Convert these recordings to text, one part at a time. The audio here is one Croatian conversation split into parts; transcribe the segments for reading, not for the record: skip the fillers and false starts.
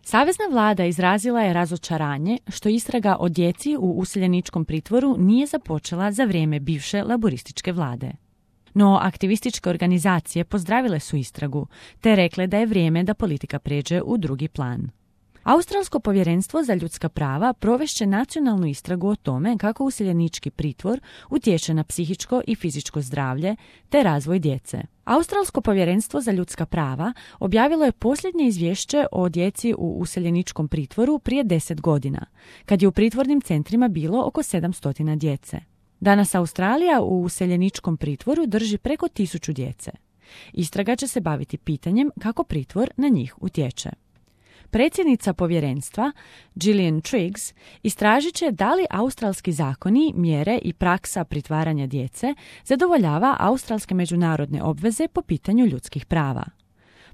Savezna vlada izrazila je razočaranje što istraga o djeci u useljeničkom pritvoru nije započela za vrijeme bivše laborističke vlade. No, aktivističke organizacije pozdravile su istragu, te rekle da je vrijeme da politika pređe u drugi plan. Australsko povjerenstvo za ljudska prava provešće nacionalnu istragu o tome kako useljenički pritvor utječe na psihičko i fizičko zdravlje te razvoj djece. Australsko povjerenstvo za ljudska prava objavilo je posljednje izvješće o djeci u useljeničkom pritvoru prije 10 godina, kad je u pritvornim centrima bilo oko 700 djece. Danas Australija u useljeničkom pritvoru drži preko 1000 djece. Istraga će se baviti pitanjem kako pritvor na njih utječe. Predsjednica povjerenstva, Gillian Triggs, istražit će da li australski zakoni, mjere i praksa pritvaranja djece zadovoljava australske međunarodne obveze po pitanju ljudskih prava.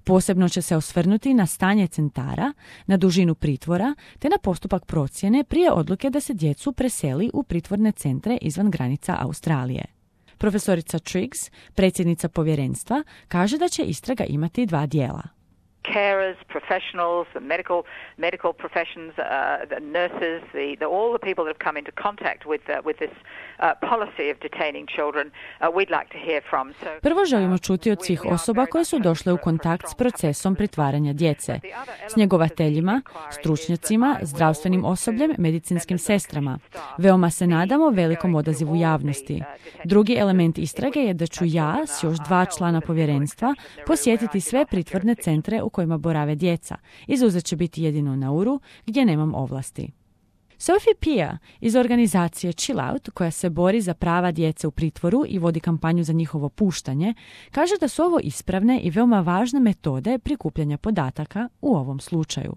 Posebno će se osvrnuti na stanje centara, na dužinu pritvora te na postupak procjene prije odluke da se djecu preseli u pritvorne centre izvan granica Australije. Profesorica Triggs, predsjednica povjerenstva, kaže da će istraga imati 2 dijela. Carers, professionals, the medical professions, the nurses, all the people that have come into contact with this policy of detaining children, we'd like to hear from. Prvo želimo čuti od svih osoba koje su došle u kontakt s procesom pritvaranja djece, s njegovateljima, stručnjacima, zdravstvenim osobljem, medicinskim sestrama. Veoma se nadamo velikom odazivu javnosti. Drugi element istrage je da ću ja s još 2 člana povjerenstva posjetiti sve pritvorne centre u kojima borave djeca. Izuzet će biti jedino Nauru, gdje nemam ovlasti. Sophie Pia iz organizacije Chill Out, koja se bori za prava djece u pritvoru i vodi kampanju za njihovo puštanje, kaže da su ovo ispravne i veoma važne metode prikupljanja podataka u ovom slučaju.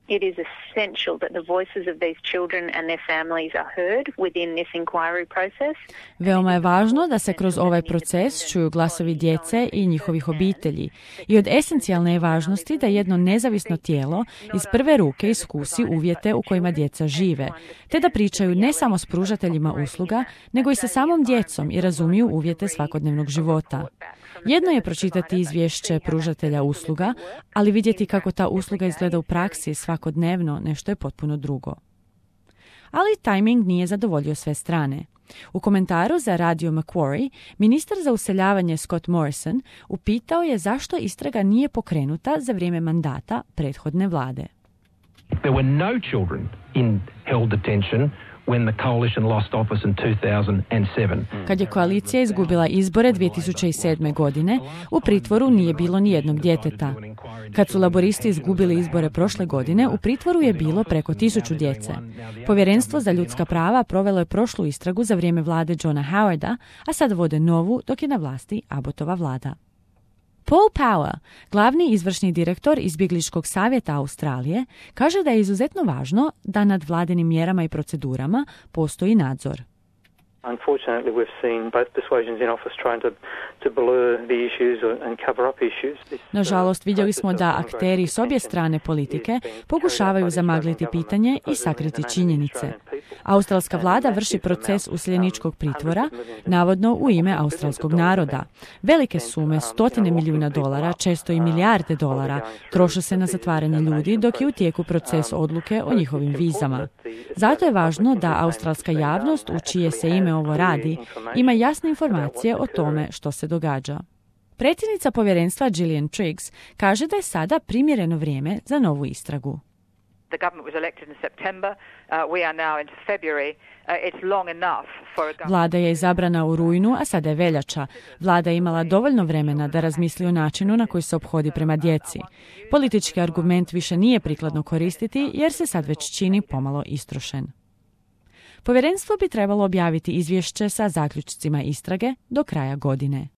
It is essential that the voices of these children and their families are heard within this inquiry process. Veoma je važno da se kroz ovaj proces čuju glasovi djece i njihovih obitelji i od esencijalne je važnosti da jedno nezavisno tijelo iz prve ruke iskusi uvjete u kojima djeca žive, te da pričaju ne samo s pružateljima usluga, nego i sa samom djecom i razumiju uvjete svakodnevnog života. Jedno je pročitati izvješće pružatelja usluga, ali vidjeti kako ta usluga izgleda u praksi svakodnevno nešto je potpuno drugo. Ali tajming nije zadovoljio sve strane. U komentaru za Radio Macquarie, ministar za useljavanje Scott Morrison upitao je zašto istraga nije pokrenuta za vrijeme mandata prethodne vlade. There were no children in held detention when the coalition lost office in 2007. Kad je koalicija izgubila izbore 2007. godine, u pritvoru nije bilo ni jednog djeteta. Kad su laboristi izgubili izbore prošle godine, u pritvoru je bilo preko 1000 djece. Povjerenstvo za ljudska prava provelo je prošlu istragu za vrijeme vlade Johna Howarda, a sad vode novu dok je na vlasti Abbottova vlada. Paul Power, glavni izvršni direktor izbjegličkog savjeta Australije, kaže da je izuzetno važno da nad vladinim mjerama i procedurama postoji nadzor. Unfortunately, we've seen both persuasions in office trying to blur the issues and cover up issues. Nažalost, vidjeli smo da akteri s obje strane politike pokušavaju zamagliti pitanje i sakriti činjenice. Australska vlada vrši proces useljeničkog pritvora, navodno u ime australskog naroda. Velike sume, $100 milijuna, često i milijarde dolara, troše se na zatvaranje ljudi dok je u tijeku proces odluke o njihovim vizama. Zato je važno da australska javnost, u čije se ime ovo radi, ima jasne informacije o tome što se događa. Predsjednica povjerenstva Gillian Triggs kaže da je sada primjereno vrijeme za novu istragu. The government was elected in September. We are now into February. It's long enough for a government. Vlada je izabrana u rujnu, a sada je veljača. Vlada je imala dovoljno vremena da razmisli o načinu na koji se ophodi prema djeci. Politički argument više nije prikladno koristiti jer se sad već čini pomalo istrošen. Povjerenstvo bi trebalo objaviti izvješće sa zaključcima istrage do kraja godine.